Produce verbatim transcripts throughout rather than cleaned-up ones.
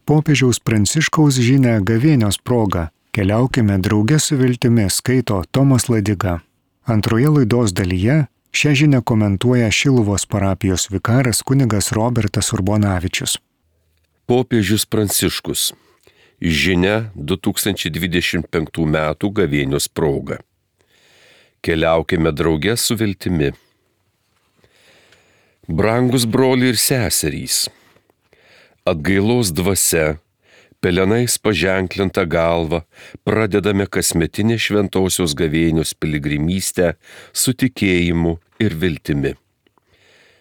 Popiežiaus Pranciškaus žinią gavėnios proga. Keliaukime drauge su viltimi, skaito Tomas Ladiga. Antroje laidos dalyje šią žinią komentuoja Šiluvos parapijos vikaras kunigas Robertas Urbonavičius. Popiežius Pranciškus. Žinia du tūkstančiai dvidešimt penktų metų gavėnios proga. Keliaukime drauge su viltimi. Brangus broliai ir seserys, atgailos dvasia, pelenais paženklinta galva, pradedame kasmetinę šventosios gavėnios piligrimystę su tikėjimu ir viltimi.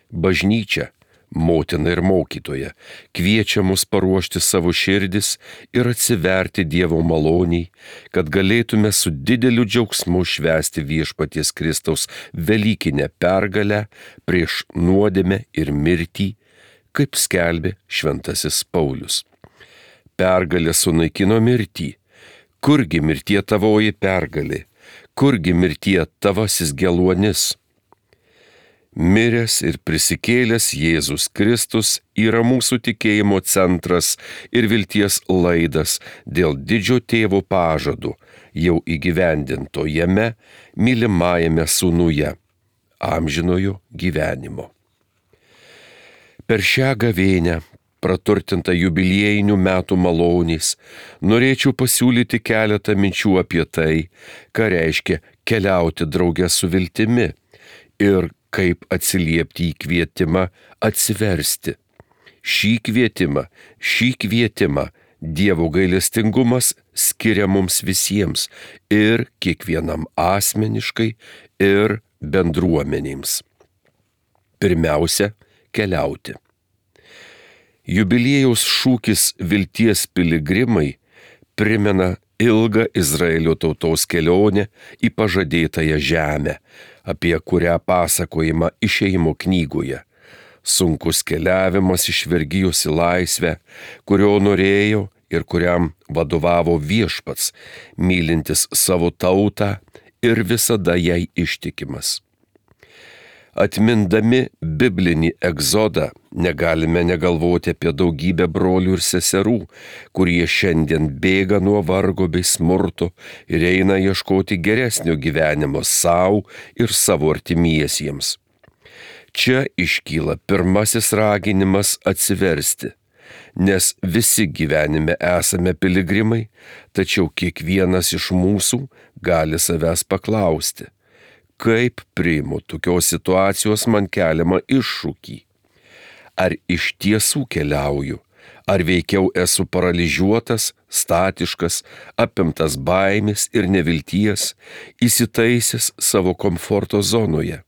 Bažnyčia, motina ir mokytoja, kviečia mus paruošti savo širdis ir atsiverti Dievo maloniai, kad galėtume su dideliu džiaugsmu švęsti viešpaties Kristaus velykinę pergalę prieš nuodėmę ir mirtį, kaip skelbė šventasis Paulius. Pergalė sunaikino mirtį. Kurgi mirtie tavoji pergalė? Kurgi mirtie tavasis geluonis? Miręs ir prisikėlęs Jėzus Kristus yra mūsų tikėjimo centras ir vilties laidas dėl didžio tėvo pažadų, jau įgyvendinto jame, mylimajame sūnuje, amžinojo gyvenimo. Per šią gavėnią, praturtinta jubiliejinių metų maloniais, norėčiau pasiūlyti keletą minčių apie tai, ką reiškia keliauti drauge su viltimi ir kaip atsiliepti į kvietimą atsiversti. Šį kvietimą, šį kvietimą Dievo gailestingumas skiria mums visiems ir kiekvienam asmeniškai ir bendruomenėms. Pirmiausia, keliauti. Jubiliejaus šūkis vilties piligrimai primena ilgą Izraelio tautos kelionę į pažadėtąją žemę, apie kurią pasakojama Išėjimo knygoje. Sunkus keliavimas iš vergijos į laisvę, kurio norėjo ir kuriam vadovavo Viešpats, mylintis savo tautą ir visada jai ištikimas. Atmindami biblinį egzodą, negalime negalvoti apie daugybę brolių ir seserų, kurie šiandien bėga nuo vargo bei smurto ir eina ieškoti geresnio gyvenimo sau ir savo artimiesiems. Čia iškyla pirmasis raginimas atsiversti, nes visi gyvenime esame piligrimai, tačiau kiekvienas iš mūsų gali savęs paklausti, kaip priimu tokios situacijos man keliamą iššūkį. Ar iš tiesų keliauju, ar veikiau esu paralyžiuotas, statiškas, apimtas baimės ir nevilties, įsitaisęs savo komforto zonoje.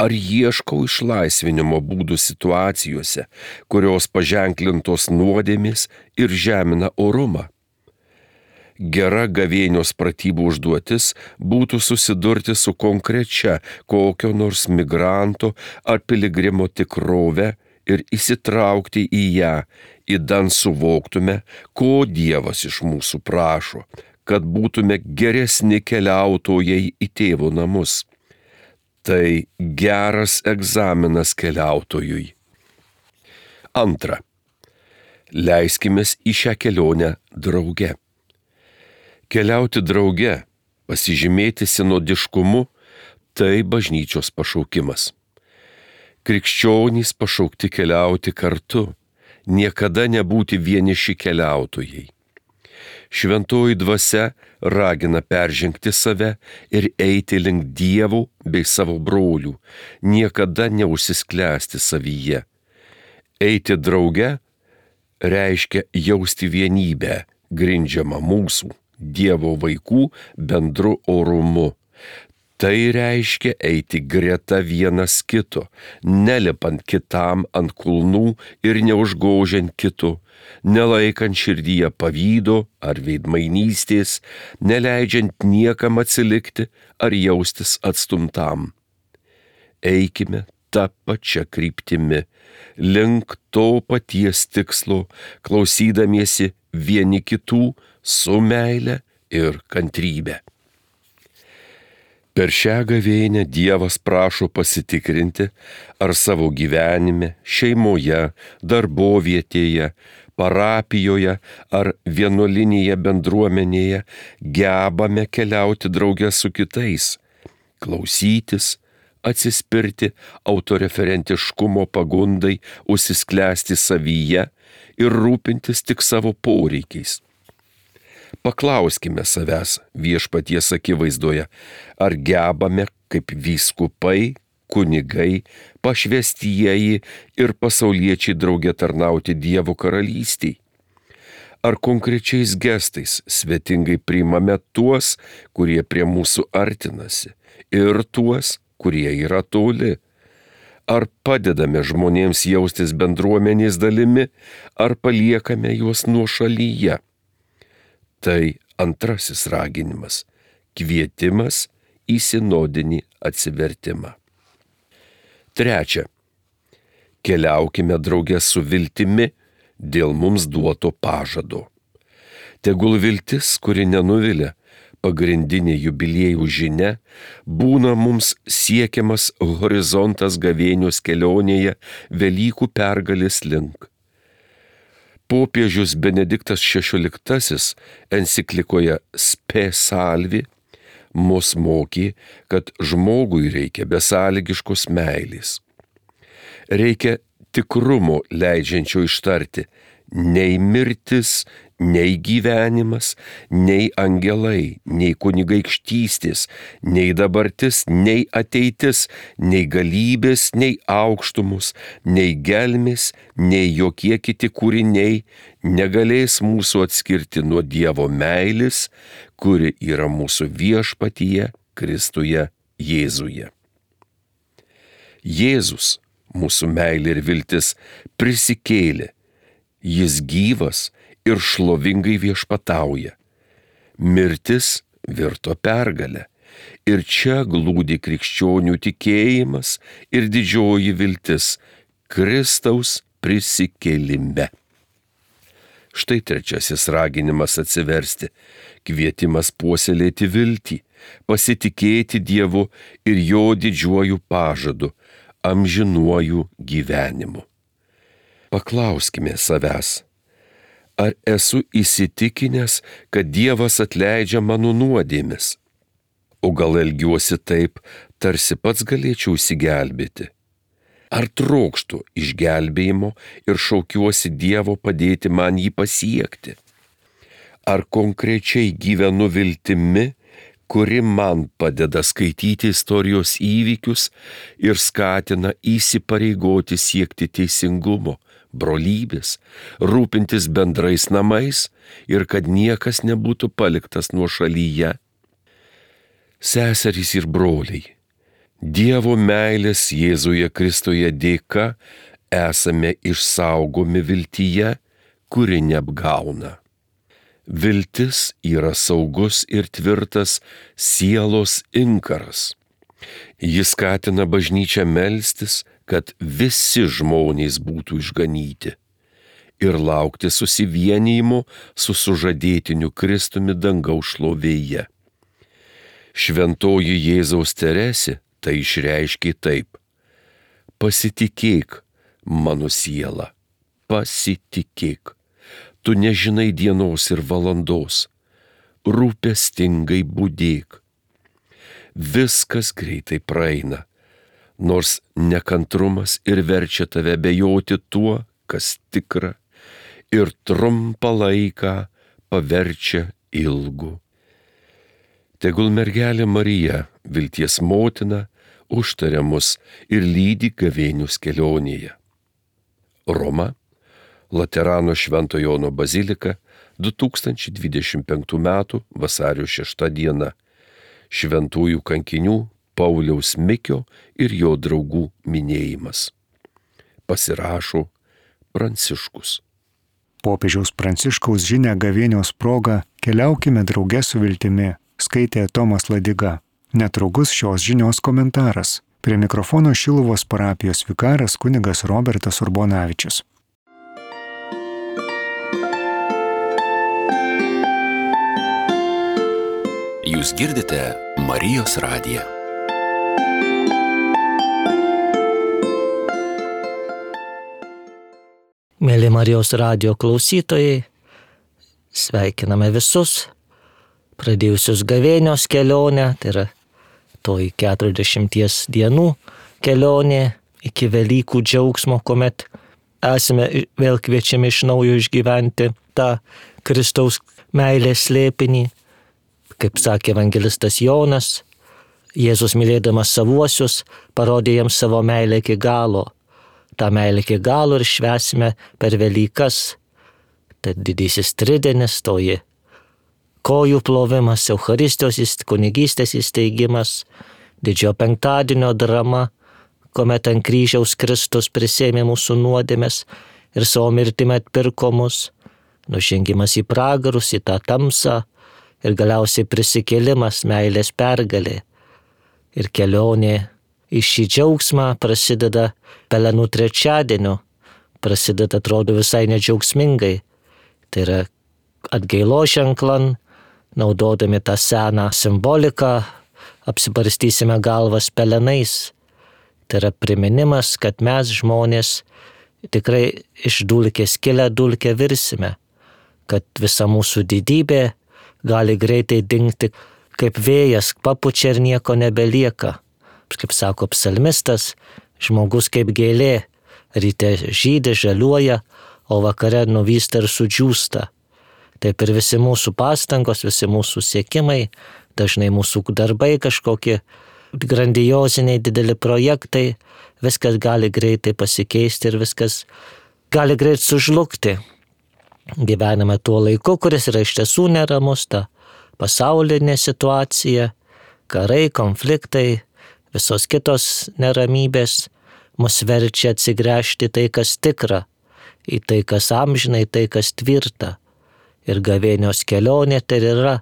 Ar ieškau išlaisvinimo būdų situacijose, kurios paženklintos nuodėmės ir žemina orumą? Gera gavėnios pratybų užduotis būtų susidurti su konkrečia kokio nors migranto ar piligrimo tikrove ir įsitraukti į ją, idant suvoktume, ko Dievas iš mūsų prašo, kad būtume geresni keliautojai į tėvo namus. Tai geras egzaminas keliautojui. Antra. Leiskimės į šią kelionę drauge. Keliauti drauge, pasižymėti sinodiškumu, tai bažnyčios pašaukimas. Krikščionys pašaukti keliauti kartu, niekada nebūti vieniši keliautojai. Šventoji dvasia ragina peržengti save ir eiti link Dievų bei savo brolių, niekada neužsisklęsti savyje. Eiti drauge reiškia jausti vienybę, grindžiamą mūsų, Dievo vaikų bendru orumu. Tai reiškia eiti greta vienas kito, nelipant kitam ant kulnų ir neužgožiant kito, nelaikant širdyje pavydo ar veidmainystės, neleidžiant niekam atsilikti ar jaustis atstumtam. Eikime tą pačią kryptimi, link to paties tikslo, klausydamiesi vieni kitų su meile ir kantrybe. Per šią gavėnią Dievas prašo pasitikrinti, ar savo gyvenime, šeimoje, darbovietėje, parapijoje ar vienuolinėje bendruomenėje gebame keliauti drauge su kitais, klausytis, atsispirti autoreferentiškumo pagundai, užsisklęsti savyje ir rūpintis tik savo poreikiais. Paklauskime savęs viešpaties akivaizdoje, ar gebame kaip vyskupai, kunigai, pašvestieji ir pasauliečiai drauge tarnauti Dievo karalystei. Ar konkrečiais gestais svetingai priimame tuos, kurie prie mūsų artinasi, ir tuos, kurie yra toli. Ar padedame žmonėms jaustis bendruomenės dalimi, ar paliekame juos nuošalyje. Tai antrasis raginimas – kvietimas į sinodinį atsivertimą. Trečia. Keliaukime drauge su viltimi dėl mums duoto pažado. Tegul viltis, kuri nenuvilia, pagrindinė jubiliejų žinia, būna mums siekiamas horizontas gavėnios kelionėje Velykų pergalės link. Popiežius Benediktas šešioliktasis enciklikoje Spe Salvi mus mokė, kad žmogui reikia besąlygiškos meilės. Reikia tikrumo leidžiančio ištarti nei mirtis, nei gyvenimas, nei angelai, nei kunigaikštystės, nei dabartis, nei ateitis, nei galybės, nei aukštumus, nei gelmės, nei jokie kiti kūriniai negalės mūsų atskirti nuo Dievo meilės, kuri yra mūsų viešpatyje Kristuje Jėzuje. Jėzus, mūsų meilė ir viltis, prisikėlė. Jis gyvas ir šlovingai viešpatauja. Mirtis virto pergalę. Ir čia glūdi krikščionių tikėjimas ir didžioji viltis Kristaus prisikėlime. Štai trečiasis raginimas atsiversti, kvietimas puoselėti viltį, pasitikėti Dievu ir jo didžiuoju pažadu, amžinuoju gyvenimu. Paklauskime savęs, ar esu įsitikinęs, kad Dievas atleidžia mano nuodėmes? O gal elgiuosi taip, tarsi pats galėčiau išsigelbėti? Ar trokštu išgelbėjimo ir šaukiuosi Dievo padėti man jį pasiekti? Ar konkrečiai gyvenu viltimi, kuri man padeda skaityti istorijos įvykius ir skatina įsipareigoti siekti teisingumo, brolybės, rūpintis bendrais namais ir kad niekas nebūtų paliktas nuošalyje? Seserys ir broliai, Dievo meilės Jėzuje Kristuje dėka esame išsaugomi viltyje, kuri neapgauna. Viltis yra saugus ir tvirtas sielos inkaras. Jis skatina bažnyčią melstis, kad visi žmonės būtų išganyti ir laukti susivienijimo su sužadėtiniu Kristumi dangaus šlovėje. Šventoji Jėzaus Teresė tai išreiškė taip: pasitikėk, mano siela, pasitikėk. Tu nežinai dienos ir valandos, rūpestingai budėk. Viskas greitai praeina, nors nekantrumas ir verčia tave bejoti tuo, kas tikra, ir trumpą laiką paverčia ilgu. Tegul mergelė Marija, vilties motina, užtaria mus ir lydi gavėnios kelionėje. Roma, Laterano Švento Jono bazilika, du tūkstančiai dvidešimt penktų metų vasario šešta diena. Šventųjų kankinių Pauliaus Mikio ir jo draugų minėjimas. Pasirašo Pranciškus. Popiežiaus Pranciškaus žinią gavėnios proga keliaukime drauge su viltimi, skaitė Tomas Ladiga. Netrukus šios žinios komentaras. Prie mikrofono Šiluvos parapijos vikaras kunigas Robertas Urbonavičius. Jūs girdite Marijos radiją. Mėly Marijos radijo klausytojai, sveikiname visus, pradėjusius gavėnios kelionę, tai yra toji keturiasdešimties dienų kelionė iki Velykų džiaugsmo, kuomet esame vėl kviečiami iš naujo išgyventi tą Kristaus meilės slėpinį. Kaip sakė evangelistas Jonas, Jėzus mylėdamas savuosius parodė jiems savo meilę iki galo. tą meilę iki galo ir švęsime per Velykas. Tad didysis tridienis, toji kojų plovimas, Eucharistijos kunigystės įsteigimas, didžiojo penktadienio drama, kuomet ant kryžiaus Kristus prisėmė mūsų nuodėmes ir savo mirtimi atpirko mus, nužengimas į pragarus, į tą tamsą ir galiausiai prisikėlimas, meilės pergalė. Ir kelionė į šį džiaugsmą prasideda Pelenų trečiadieniu, prasideda atrodo visai nedžiaugsmingai. Tai yra atgailo ženklan, naudodami tą seną simboliką, apsibarstysime galvas pelenais. Tai yra priminimas, kad mes žmonės tikrai iš dulkės kilę dulkę virsime, kad visa mūsų didybė gali greitai dingti, kaip vėjas papučia ir nieko nebelieka. Kaip sako psalmistas, žmogus kaip gėlė, ryte žydi, žaliuoja, o vakare nuvysta ir sudžiūsta. Taip ir visi mūsų pastangos, visi mūsų siekimai, dažnai mūsų darbai kažkokie grandioziniai dideli projektai, viskas gali greitai pasikeisti ir viskas gali greit sužlugti. Gyvename tuo laiku, kuris yra iš tiesų neramus, ta pasaulinė situacija, karai, konfliktai, visos kitos neramybės mus verčia atsigręžti tai, kas tikra, į tai, kas amžina, į tai, kas tvirta. Ir gavėnios kelionė tai yra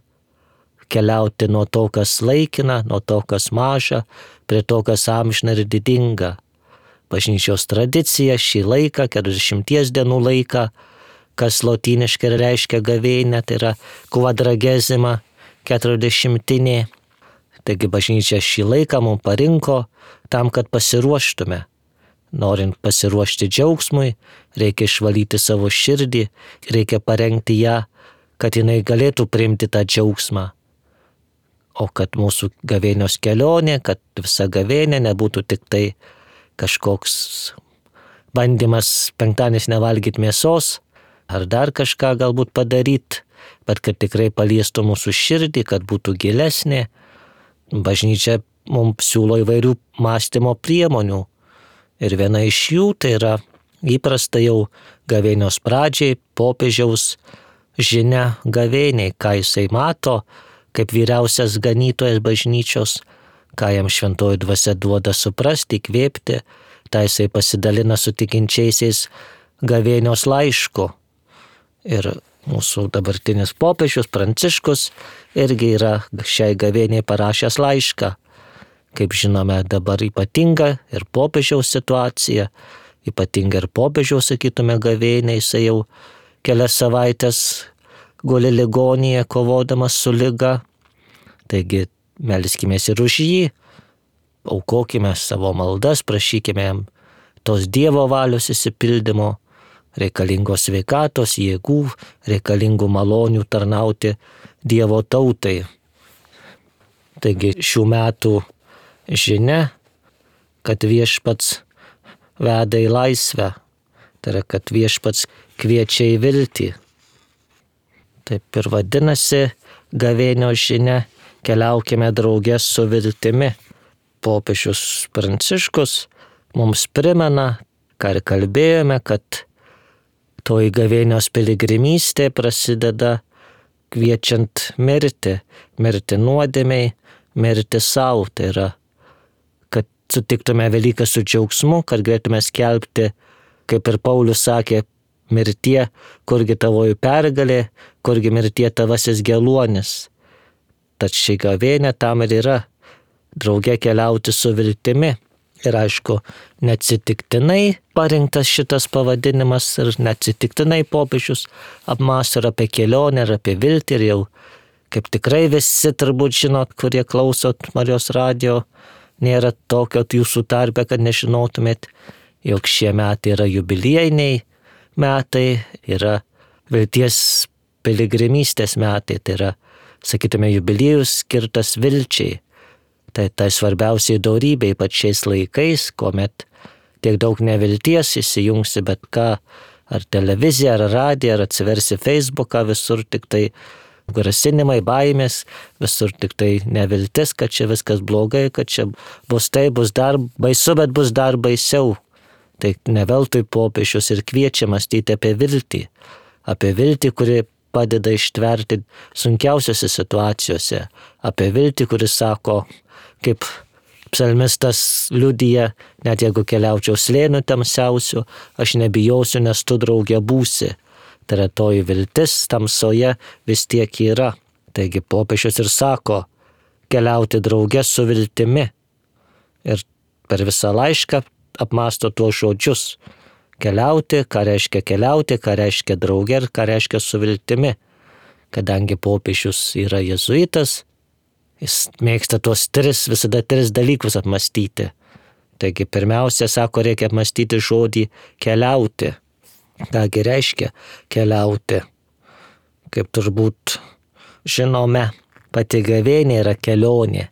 keliauti nuo to, kas laikina, nuo to, kas maža, prie to, kas amžina ir didinga. Bažnyčios tradicija šį laiką, keturiasdešimties dienų laiką, kas lotyniškai reiškia gavėnę, tai yra quadragesima, keturiasdešimtinė. Taigi bažnyčia šį laiką mums parinko tam, kad pasiruoštume. Norint pasiruošti džiaugsmui, reikia išvalyti savo širdį, reikia parengti ją, kad jinai galėtų priimti tą džiaugsmą. O kad mūsų gavėnios kelionė, kad visa gavėnė nebūtų tik tai kažkoks bandymas penktadienis nevalgyti mėsos, ar dar kažką galbūt padaryti, bet kad tikrai paliestų mūsų širdį, kad būtų gilesnė. Bažnyčia mums siūlo įvairių mąstymo priemonių. Ir viena iš jų tai yra įprasta jau gavėnios pradžiai popiežiaus žinia gavėniai, ką jisai mato kaip vyriausias ganytojas bažnyčios, ką jam šventoji dvasia duoda suprasti, įkvėpti, tai jisai pasidalina su tikinčiaisiais gavėnios laišku. Ir mūsų dabartinis popiežius Pranciškus irgi yra šiai gavėniai parašęs laišką. Kaip žinome, dabar ypatinga ir popiežiaus situacija, ypatinga ir popiežiaus, sakytume, gavėniai, jisai jau kelias savaitės guli ligoninėje kovodamas su liga. Taigi melskimės ir už jį, aukokime savo maldas, prašykime jam tos Dievo valios įsipildymo, reikalingos sveikatos, jėgų, reikalingų malonių tarnauti Dievo tautai. Taigi šių metų žinia, kad viešpats veda į laisvę, tai yra, kad viešpats kviečia į viltį. Taip ir vadinasi gavėnio žinia, keliaukime drauge su viltimi. Popiežius Pranciškus mums primena, ką ir kalbėjome, kad toji gavėnios piligrimystė prasideda kviečiant mirti, mirti nuodėmei, mirti savo, tai yra, kad sutiktume Velykas su džiaugsmu, kad galėtume skelbti, kaip ir Paulius sakė, mirtie, kurgi tavoji pergalė, kurgi mirtie tavasis geluonis. Tad ši gavėnė tam ir yra, drauge keliauti su viltimi. Ir aišku, neatsitiktinai parinktas šitas pavadinimas ir neatsitiktinai popiežius apmąsto ir apie kelionę, ir apie viltį, ir jau kaip tikrai visi turbūt žinot, kurie klausot Marijos radijo, nėra tokio jūsų tarpe, kad nežinotumėt, jog šie metai yra jubiliejiniai, metai yra vilties piligrimystės metai, tai yra, sakytume, jubiliejus skirtas vilčiai. Tai tai svarbiausiai dorybė, ypač šiais laikais, kuomet tiek daug nevilties įsijungsi bet ką, ar televiziją, ar radiją, ar atsiversi Facebooką, visur tik tai grasinimai, baimės, visur tik tai neviltis, kad čia viskas blogai, kad čia bus tai, bus dar baisu, bet bus dar baisiau. Tai neveltui popiežius ir kviečia mąstyti apie viltį, apie viltį, kuri padeda ištverti sunkiausiose situacijose, apie viltį, kuris sako, kaip psalmistas liudija, net jeigu keliaučiau slėniu tamsiausiu, aš nebijosiu, nes tu draugė būsi. Tai yra toji viltis tamsoje vis tiek yra. Taigi popiežius ir sako, keliauti draugė su viltimi. Ir per visą laišką apmąsto tuos žodžius. Keliauti, ką reiškia keliauti, ką reiškia draugė ir ką reiškia su viltimi. Kadangi popiežius yra jėzuitas, jis mėgsta tuos tris, visada tris dalykus apmąstyti. Taigi pirmiausia, sako, reikia apmąstyti žodį keliauti. Kągi reiškia keliauti? Kaip turbūt žinome, pati gavėnia yra kelionė.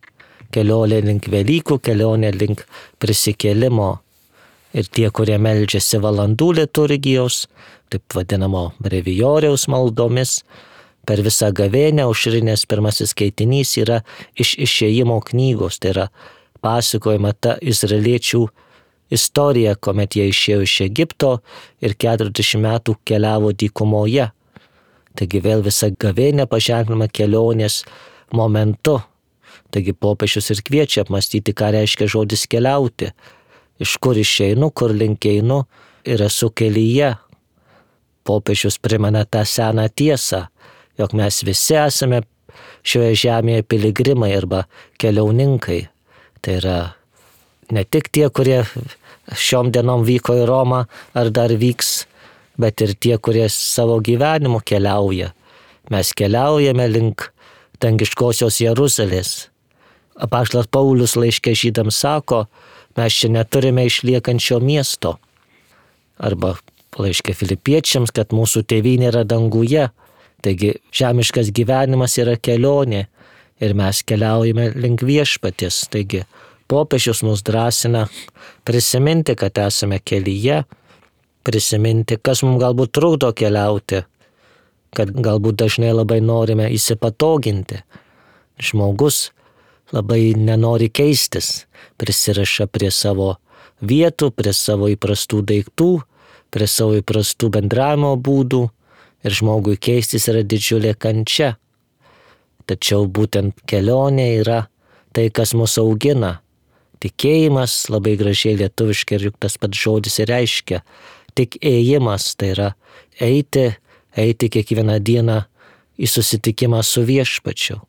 Kelionė link Velykų, kelionė link prisikėlimo. Ir tie, kurie meldžiasi valandų liturgijos, taip vadinamo brevijoriaus maldomis, per visą gavėnią aušrinės pirmasis skaitinys yra iš Išėjimo knygos, tai yra pasakojama ta izraeliečių istorija, kuomet jie išėjo iš Egipto ir keturiasdešimt metų keliavo dykumoje. Taigi vėl visa gavėnia paženklima kelionės momentu. Taigi popiežius ir kviečia apmąstyti, ką reiškia žodis keliauti. Iš kur išeinu, kur link einu ir esu kelyje. Popiežius primena tą seną tiesą, jog mes visi esame šioje žemėje piligrimai arba keliauninkai. Tai yra ne tik tie, kurie šiom dienom vyko į Romą ar dar vyks, bet ir tie, kurie savo gyvenimu keliauja. Mes keliaujame link dangiškosios Jeruzalės. Apaštalas Paulius laiške žydams sako, mes čia neturime išliekančio miesto. Arba laiške Filipiečiams, kad mūsų tėvynė yra danguje. Taigi žemiškas gyvenimas yra kelionė ir mes keliaujame link viešpaties. Taigi popiežius mus drąsina prisiminti, kad esame kelyje, prisiminti, kas mums galbūt trukdo keliauti, kad galbūt dažnai labai norime įsipatoginti. Žmogus labai nenori keistis, prisiriša prie savo vietų, prie savo įprastų daiktų, prie savo įprastų bendravimo būdų ir žmogui keistis yra didžiulė kančia. Tačiau būtent kelionė yra tai, kas mus augina. Tikėjimas, labai gražiai lietuviškai ir juk tas pats žodis ir reiškia, tik ėjimas, tai yra eiti, eiti kiekvieną dieną į susitikimą su viešpačiu.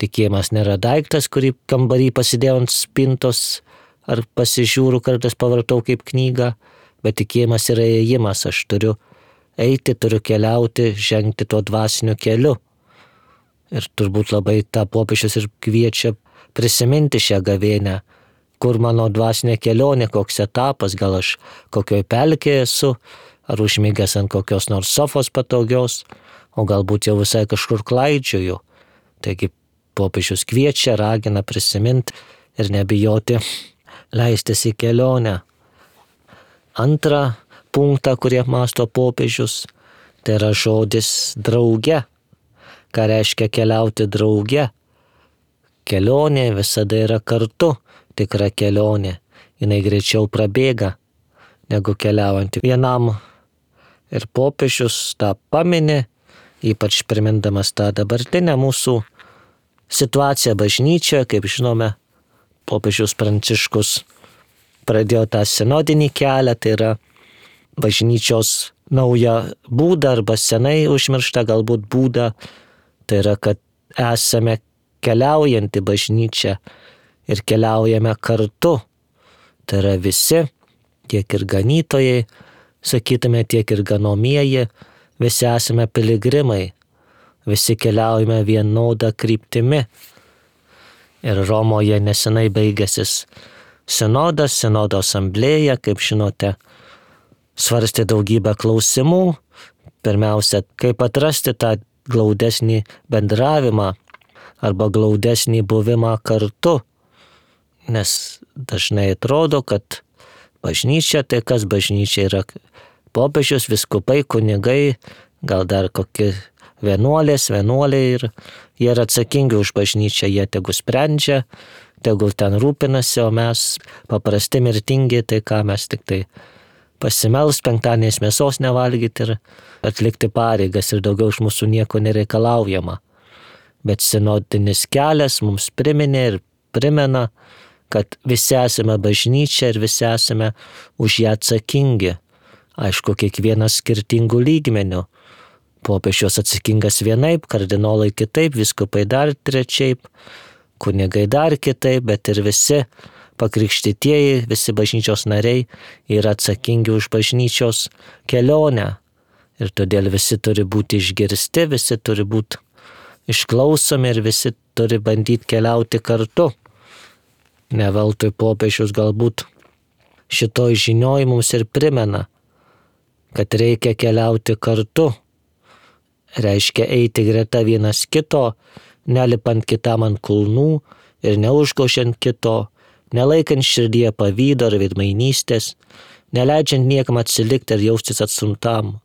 Tikėjimas nėra daiktas, kurį kambarį pasidėjau ant spintos ar pasižiūriu, kartais pavartau kaip knygą, bet tikėjimas yra ėjimas, aš turiu eiti, turiu keliauti, žengti tuo dvasiniu keliu. Ir turbūt labai tą popiežius ir kviečia prisiminti šią gavėnią, kur mano dvasinė kelionė, koks etapas, gal aš kokioj pelkėje esu, ar užmigęs ant kokios nors sofos patogios, o galbūt jau visai kažkur klaidžioju. Taigi popiežius kviečia, ragina prisiminti ir nebijoti leistis į kelionę. Antrą punktą, kurį apmąsto popiežius, tai yra žodis drauge. Ką reiškia keliauti drauge? Kelionė visada yra kartu, tikra kelionė. Jinai greičiau prabėga, negu keliaujanti vienam. Ir popiežius tą pamini, ypač primindamas tą dabartinę mūsų situaciją bažnyčioje. Kaip žinome, popiežius Pranciškus pradėjo tą sinodinį kelią, tai yra bažnyčios naują būdą arba senai užmirštą galbūt būdą, tai yra, kad esame keliaujanti bažnyčia ir keliaujame kartu. Tai yra visi, tiek ir ganytojai, sakytume, tiek ir ganomieji, visi esame piligrimai, visi keliaujame vienodą kryptimi. Ir Romoje nesenai baigęsis sinodas, sinodo asamblėja, kaip žinote, svarstė daugybę klausimų. Pirmiausia, kaip atrasti tą glaudesnį bendravimą arba glaudesnį buvimą kartu. Nes dažnai atrodo, kad bažnyčia, tai kas bažnyčia yra popiežius, vyskupai, kunigai, gal dar kokie vienuolės, vienuoliai ir jie yra atsakingi už bažnyčią, jie tegu sprendžia, tegul ten rūpinasi, o mes paprasti mirtingi, tai ką mes tik tai pasimels, penktadieniais mėsos nevalgyti ir atlikti pareigas ir daugiau iš mūsų nieko nereikalaujama. Bet sinodinis kelias mums priminė ir primena, kad visi esame bažnyčia ir visi esame už ją atsakingi. Aišku, kiekvienas skirtingų lygmenių. Popiežius atsakingas vienaip, kardinolai kitaip, vyskupai dar trečiaip, kunigai dar kitaip, bet ir visi pakrikštytieji, visi bažnyčios nariai yra atsakingi už bažnyčios kelionę. Ir todėl visi turi būti išgirsti, visi turi būti išklausomi ir visi turi bandyti keliauti kartu. Ne veltui popiežius galbūt šitoj žinioj mums ir primena, kad reikia keliauti kartu. Reiškia eiti greta vienas kito, nelipant kitam ant kulnų ir neužgošiant kito, nelaikant širdyje pavydo ar veidmainystės, neleidžiant niekam atsilikti ir jaustis atstumtam.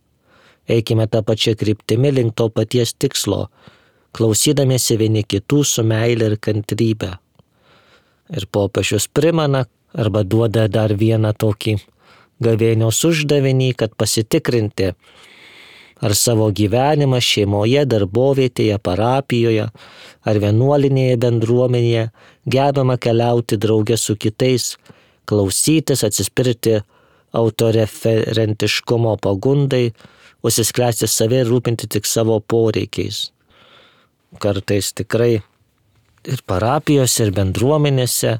Eikime tą pačią kryptimį link to paties tikslo, klausydamiesi vieni kitų su meile ir kantrybe. Ir popiežius primena arba duoda dar vieną tokį gavėnios uždavinį, kad pasitikrinti, ar savo gyvenimą šeimoje, darbovietėje, parapijoje ar vienuolinėje bendruomenėje gebama keliauti drauge su kitais, klausytis, atsispirti autoreferentiškumo pagundai, užsisklęsti save ir rūpinti tik savo poreikiais. Kartais tikrai ir parapijose, ir bendruomenėse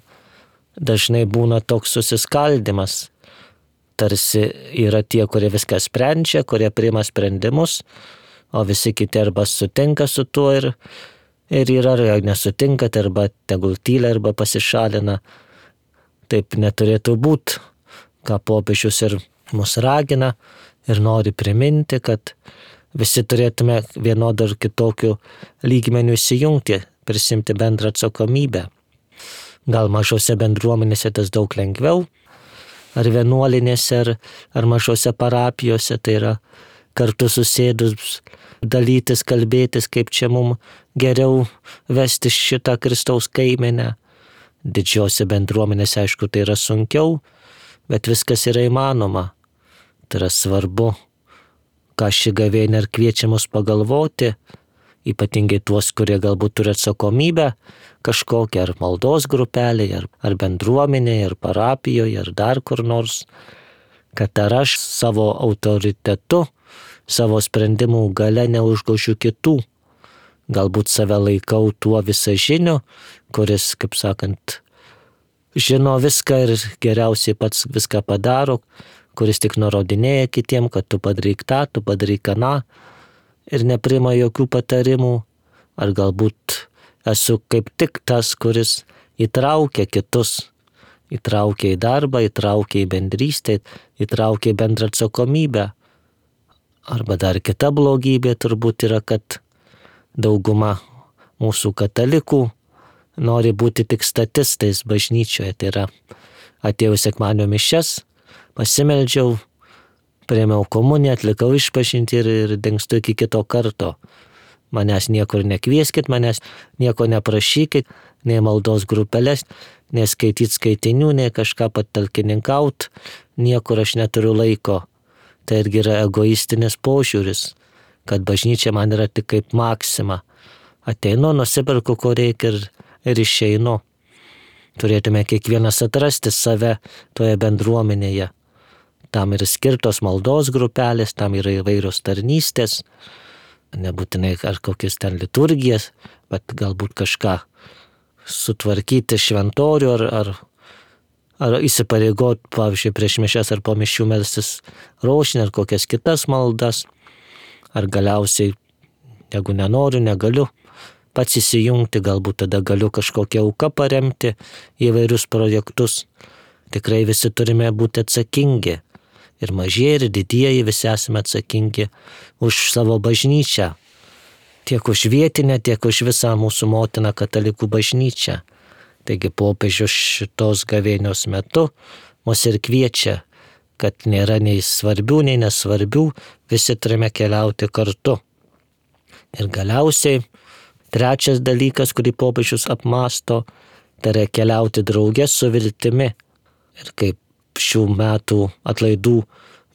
dažnai būna toks susiskaldimas. Tarsi yra tie, kurie viską sprendžia, kurie priima sprendimus, o visi kiti arba sutinka su tuo ir, ir yra, ar nesutinka, tai arba tegul tylia, arba pasišalina. Taip neturėtų būti, ką popiežius ir mus ragina ir nori priminti, kad visi turėtume vienodų ir kitokių lygmenių įsijungti, prisimti bendrą atsakomybę. Gal mažose bendruomenėse tas daug lengviau, ar vienuolinėse, ar, ar mažose parapijose, tai yra kartu susėdus, dalytis, kalbėtis, kaip čia mums geriau vesti šitą Kristaus kaimenę. Didžiose bendruomenėse, aišku, tai yra sunkiau, bet viskas yra įmanoma. Tai yra svarbu, ką ši gavėnia ir kviečia mus pagalvoti, ypatingai tuos, kurie galbūt turi atsakomybę kažkokią, ar maldos grupelėje, ar, ar bendruomenėje, ar parapijoje, ar dar kur nors, kad ar aš savo autoritetu, savo sprendimų gale neužgošiu kitų. Galbūt save laikau tuo visažiniu, kuris, kaip sakant, žino viską ir geriausiai pats viską padaro, kuris tik nurodinėja kitiem, kad tu padaryk tą, tu padaryk aną, ir nepriima jokių patarimų, ar galbūt esu kaip tik tas, kuris įtraukia kitus, įtraukia į darbą, įtraukia į bendrystę, įtraukia į bendrą atsakomybę. Arba dar kita blogybė turbūt yra, kad dauguma mūsų katalikų nori būti tik statistais bažnyčioje. Tai yra, atėjau sekmadienio mišias, pasimeldžiau, priėmiau komuniją, atlikau išpažintį ir, ir dingstu iki kito karto. Manęs niekur nekvieskit, manęs nieko neprašykit, nei maldos grupelės, nei skaityt skaitinių, nei kažką patalkininkaut, niekur aš neturiu laiko. Tai irgi yra egoistinis požiūris, kad bažnyčia man yra tik kaip maksima. Ateinu, nusiperku, ko reikia ir, ir išeinu. Turėtume kiekvienas atrasti save toje bendruomenėje. Tam yra skirtos maldos grupelės, tam yra įvairios tarnystės, nebūtinai ar kokias ten liturgijas, bet galbūt kažką sutvarkyti šventorių ar, ar, ar įsipareigoti, pavyzdžiui, prieš mišias ar po mišių melstis rožinį ar kokias kitas maldas, ar galiausiai, jeigu nenoriu, negaliu pats įsijungti, galbūt tada galiu kažkokią auką paremti įvairius projektus. Tikrai visi turime būti atsakingi. Ir mažieji, ir didieji visi esame atsakingi už savo bažnyčią. Tiek už vietinę, tiek už visą mūsų motiną katalikų bažnyčią. Taigi popiežius šitos gavėnios metu mus ir kviečia, kad nėra nei svarbių, nei nesvarbių, visi turime keliauti kartu. Ir galiausiai trečias dalykas, kurį popiežius apmąsto, tai yra keliauti drauge su viltimi. Ir kaip šių metų atlaidų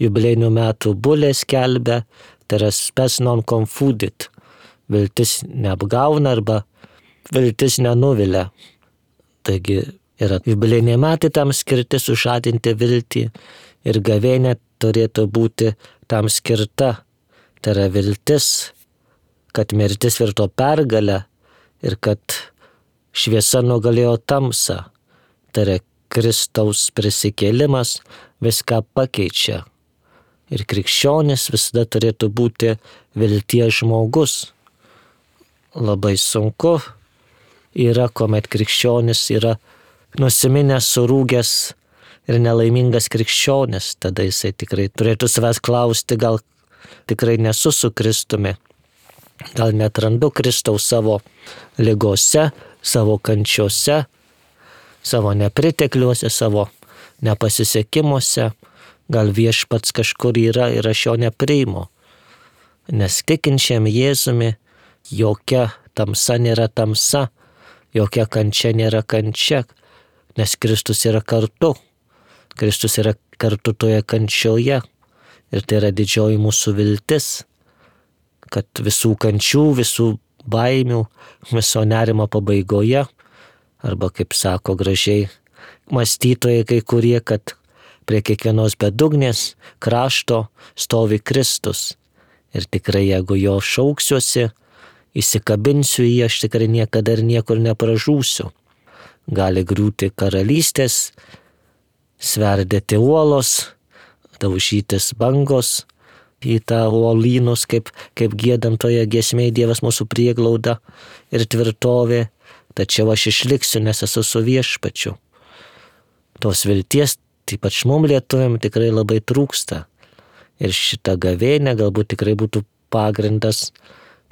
jubiliejinių metų bulė skelbia, tai yra spes non confudit. Viltis neapgauna arba viltis nenuvilia. Taigi yra jubiliejiniai metai tam skirti sužadinti viltį ir gavėnė turėtų būti tam skirta. Tai yra viltis, kad mirtis virto pergalę ir kad šviesa nugalėjo tamsą. Tai yra Kristaus prisikėlimas viską pakeičia. Ir krikščionis visada turėtų būti vilties žmogus. Labai sunku yra, kuomet krikščionis yra nusiminęs, surūgęs ir nelaimingas krikščionis. Tada jisai tikrai turėtų savęs klausti, gal tikrai nesu su Kristumi. Gal netrandu Kristaus savo ligose, savo kančiose, savo nepritekliuose, savo nepasisekimuose. Gal viešpats kažkur yra ir aš jo nepriimu. Nes tikinčiam Jėzumi jokia tamsa nėra tamsa, jokia kančia nėra kančia, nes Kristus yra kartu. Kristus yra kartu toje kančioje ir tai yra didžioji mūsų viltis, kad visų kančių, visų baimių, viso nerimo pabaigoje, arba kaip sako gražiai mąstytojai kai kurie, kad prie kiekvienos bedugnės krašto stovi Kristus. Ir tikrai, jeigu jo šauksiuosi, įsikabinsiu į jį, aš tikrai niekada ir niekur nepražūsiu. Gali griūti karalystės, sverdėti uolos, daužytis bangos į tą uolynus, kaip, kaip giedam toje giesmėje Dievas mūsų prieglauda ir tvirtovė, tačiau aš išliksiu, nes esu su viešpačiu. Tos vilties, ypač mum lietuviam, tikrai labai trūksta. Ir šitą gavėnę galbūt tikrai būtų pagrindas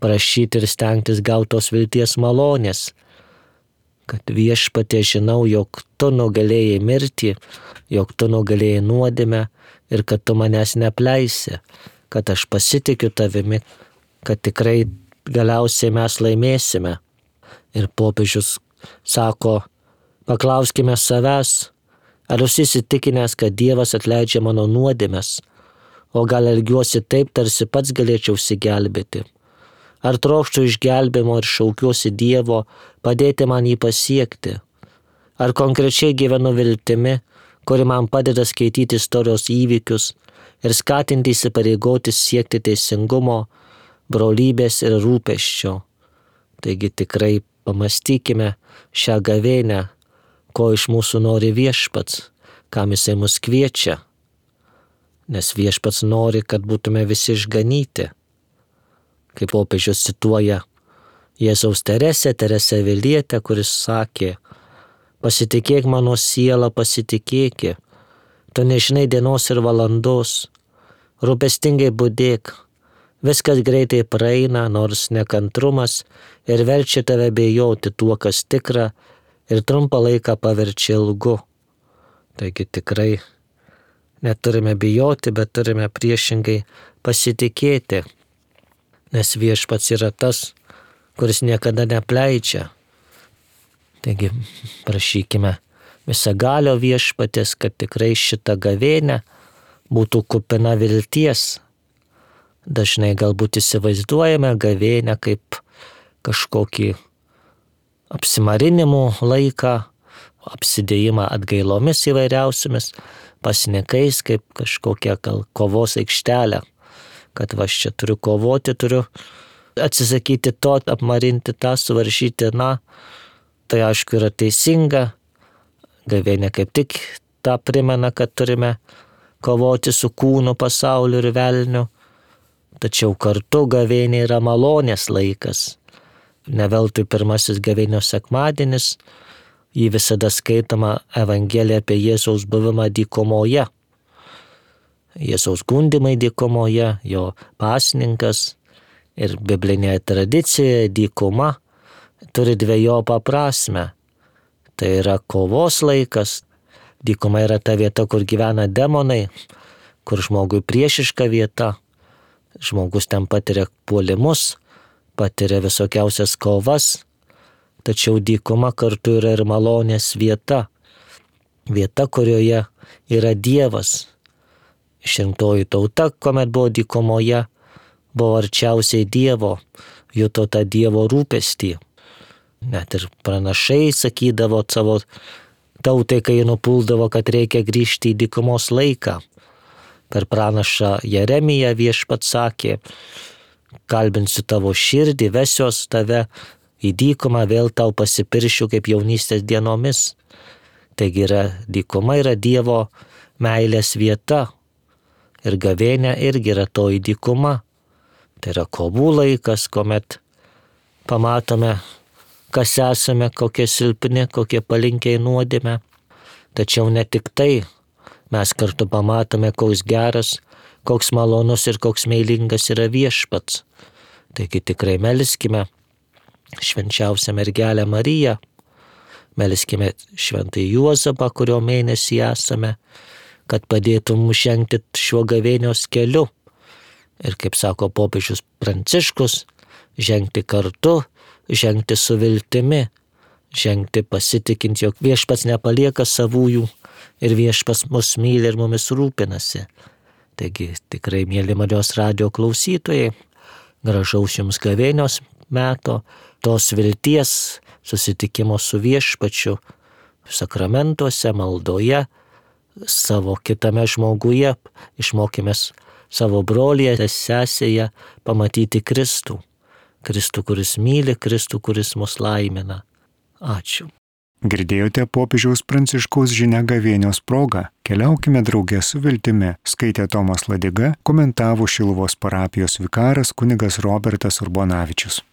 prašyti ir stengtis gauti tos vilties malonės. Kad viešpatie žinau, jog tu nugalėjai mirtį, jog tu nugalėjai nuodėmę ir kad tu manęs neapleisi, kad aš pasitikiu tavimi, kad tikrai galiausiai mes laimėsime. Ir popiežius sako, paklauskime savęs, ar jūs įsitikinęs, kad Dievas atleidžia mano nuodėmes, o gal elgiuosi taip, tarsi pats galėčiau išsigelbėti. Ar trokštų išgelbėjimo ir šaukiuosi Dievo, padėti man jį pasiekti. Ar konkrečiai gyvenu viltimi, kuri man padeda skaityti istorijos įvykius ir skatinti įsipareigoti siekti teisingumo, brolybės ir rūpesčio. Taigi tikrai pamastykime šią gavėnę, ko iš mūsų nori viešpats, kam jisai mus kviečia. Nes viešpats nori, kad būtume visi išganyti. Kaip popiežius cituoja Jėzaus Teresę, Teresę Avilietę, kuris sakė, pasitikėk mano siela, pasitikėki, tu nežinai dienos ir valandos, rūpestingai budėk, viskas greitai praeina, nors nekantrumas ir verčia tave bejoti tuo, kas tikra, ir trumpą laiką paverčia ilgu. Taigi tikrai neturime bijoti, bet turime priešingai pasitikėti, nes viešpats yra tas, kuris niekada neapleidžia. Taigi prašykime visagalio viešpatės, kad tikrai šita gavėnė būtų kupina vilties. Dažnai galbūt įsivaizduojame gavėnę kaip kažkokį apsimarinimų laiką, apsidėjimą atgailomis įvairiausiamis, pasnikais kaip kažkokią gal kovos aikštelę, kad va aš čia turiu kovoti, turiu atsisakyti to, apmarinti tą, suvaržyti, na, tai aišku yra teisinga. Gavėnė kaip tik tą primena, kad turime kovoti su kūnu, pasauliu ir velniu, tačiau kartu gavėnė yra malonės laikas. Ne veltui pirmasis gavėnios sekmadienis, jį visada skaitoma Evangelija apie Jėzaus buvimą dykumoje. Jėzaus gundymai dykumoje, jo pasninkas ir biblinėje tradicijoje dykuma turi dvejopą prasme. Tai yra kovos laikas. Dykuma yra ta vieta, kur gyvena demonai, kur žmogui priešiška vieta. Žmogus ten patiria puolimus, patiria visokiausias kovas. Tačiau dykuma kartu yra ir malonės vieta. Vieta, kurioje yra Dievas. Išrinktoji tauta, kuomet buvo dykumoje, buvo arčiausiai Dievo, juto tą Dievo rūpestį. Net ir pranašai sakydavo savo tautai, kai jie nupuldavo, kad reikia grįžti į dykumos laiką. Per pranašą Jeremiją viešpats sakė, kalbinsiu tavo širdį, vesiuos tave į dykumą, vėl tau pasipiršiu kaip jaunystės dienomis. Taigi yra, dykuma yra Dievo meilės vieta. Ir gavėnia irgi yra toji dykuma. Tai yra kovų laikas, kuomet pamatome, kas esame, kokie silpni, kokie palinkiai nuodėme. Tačiau ne tik tai, mes kartu pamatome, koks geras, koks malonus ir koks meilingas yra viešpats. Taigi tikrai melskime švenčiausią mergelę Mariją, melskime šventąjį Juozapą, kurio mėnesį esame, kad padėtų mums žengti šiuo gavėnios keliu. Ir kaip sako popiežius Pranciškus, žengti kartu, žengti su viltimi, žengti pasitikint, jog viešpats nepalieka savųjų ir viešpats mus myli ir mumis rūpinasi. Taigi tikrai, mėly Marijos radijo klausytojai, gražaus jums gavėnios meto, tos vilties, susitikimo su viešpačiu, sakramentuose, maldoje, savo kitame žmoguje, išmokimės savo brolyje, sesėje pamatyti Kristų. Kristų, kuris myli, Kristų, kuris mus laimina. Ačiū. Girdėjote popiežiaus Pranciškaus žinią gavėnios proga. Keliaukime drauge su viltimi. Skaitė Tomas Ladiga, komentavo Šiluvos parapijos vikaras kunigas Robertas Urbonavičius.